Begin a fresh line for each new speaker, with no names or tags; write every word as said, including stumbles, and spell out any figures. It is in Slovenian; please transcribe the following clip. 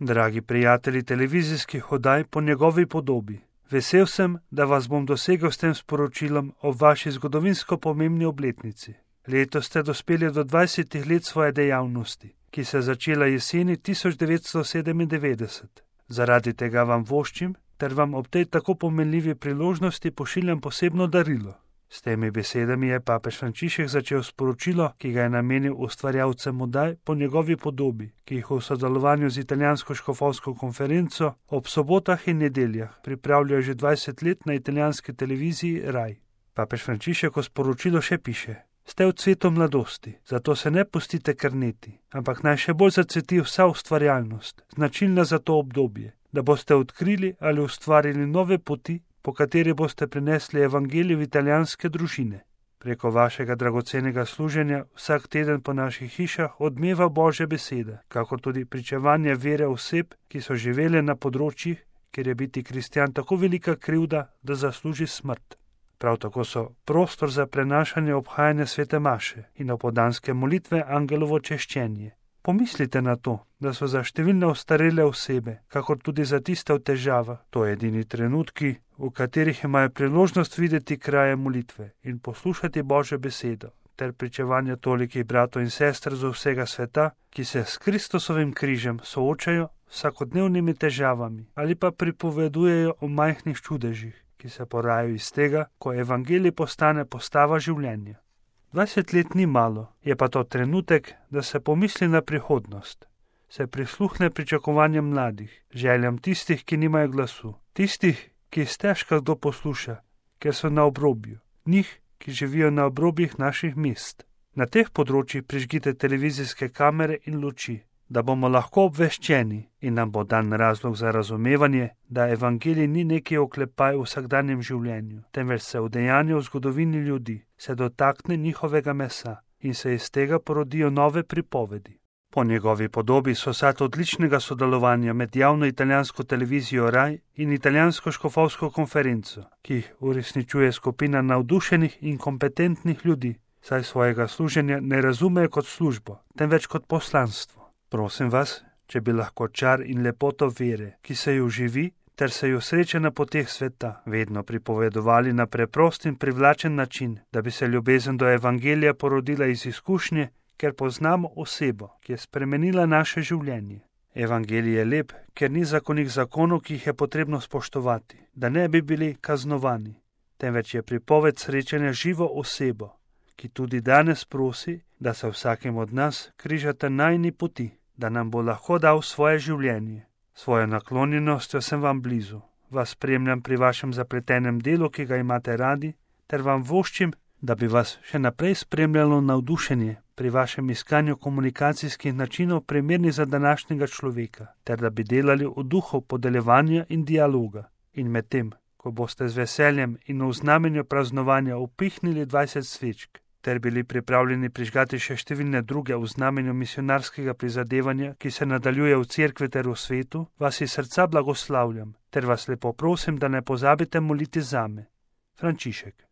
Dragi prijatelji televizijskih oddaj po njegovi podobi, vesel sem, da vas bom dosegel s tem sporočilom o vaši zgodovinsko pomembni obletnici. Letos ste dospeli do dvajsetih let svoje dejavnosti, ki se je začela jeseni tisoč devetsto sedemindevetdeset. Zaradi tega vam voščim, ter vam ob tej tako pomenljivi priložnosti pošiljam posebno darilo. S temi besedami je papež Frančišek začel sporočilo, ki ga je namenil ustvarjalcem oddaj po njegovi podobi, ki jih v sodelovanju z italijansko škofovsko konferenco ob sobotah in nedeljah pripravljajo že dvajset let na italijanski televiziji Rai. Papež Frančišek v sporočilu še piše: Ste v cvetu mladosti, zato se ne pustite krneti, ampak naj še bolj zacveti vsa ustvarjalnost, značilna za to obdobje, da boste odkrili ali ustvarili nove poti, po kateri boste prinesli evangelij v italijanske družine. Preko vašega dragocenega služenja vsak teden po naših hišah odmeva Božja beseda, kakor tudi pričevanje vere oseb, ki so živele na področjih, kjer je biti kristjan tako velika krivda, da zasluži smrt. Prav tako so prostor za prenašanje obhajanja svete maše in opoldanske molitve angelovo češčenje. Pomislite na to, da so za številne ostarele osebe, kakor tudi za tiste v težavah, to edini trenutki, v katerih imajo priložnost videti kraje molitve in poslušati Božjo besedo, ter pričevanje tolikih bratov in sester z vsega sveta, ki se s Kristusovim križem soočajo s vsakodnevnimi težavami ali pa pripovedujejo o majhnih čudežih, ki se porajajo iz tega, ko evangelij postane postava življenja. dvajset let ni malo, je pa to trenutek, da se pomisli na prihodnost, se prisluhne pričakovanjem mladih, željam tistih, ki nimajo glasu, tistih, ki jih stežka kdo posluša, ker so na obrobju, njih, ki živijo na obrobjih naših mest. Na teh področjih prižgite televizijske kamere in luči, da bomo lahko obveščeni in nam bo dan razlog za razumevanje, da evangelij ni neki oklepaj v vsakdanjem življenju, temveč se udejanja v zgodovini ljudi, se dotakne njihovega mesa in se iz tega porodijo nove pripovedi. Po njegovi podobi so sad odličnega sodelovanja med javno italijansko televizijo Rai in italijansko škofovsko konferenco, ki jih uresničuje skupina navdušenih in kompetentnih ljudi, saj svojega služenja ne razumejo kot službo, temveč kot poslanstvo. Prosim vas, če bi lahko čar in lepoto vere, ki se jo živi, ter se jo sreče na poteh sveta, vedno pripovedovali na preprost in privlačen način, da bi se ljubezen do evangelija porodila iz izkušnje, ker poznamo osebo, ki je spremenila naše življenje. Evangelij je lep, ker ni zakonih zakonov, ki jih je potrebno spoštovati, da ne bi bili kaznovani, temveč je pripoved srečanja živo osebo, ki tudi danes prosi, da se vsakem od nas križata najini poti, da nam bo lahko dal svoje življenje. Svojo naklonjenostjo sem vam blizu, vas spremljam pri vašem zapletenem delu, ki ga imate radi, ter vam voščim, da bi vas še naprej spremljalo navdušenje pri vašem iskanju komunikacijskih načinov primernih za današnjega človeka, ter da bi delali v duhu podeljevanja in dialoga. In medtem, ko boste z veseljem in v znamenju praznovanja upihnili dvajset svečk, ter bili pripravljeni prižgati še številne druge v znamenju misionarskega prizadevanja, ki se nadaljuje v cerkvi ter v svetu, vas iz srca blagoslavljam, ter vas lepo prosim, da ne pozabite moliti zame. Frančišek.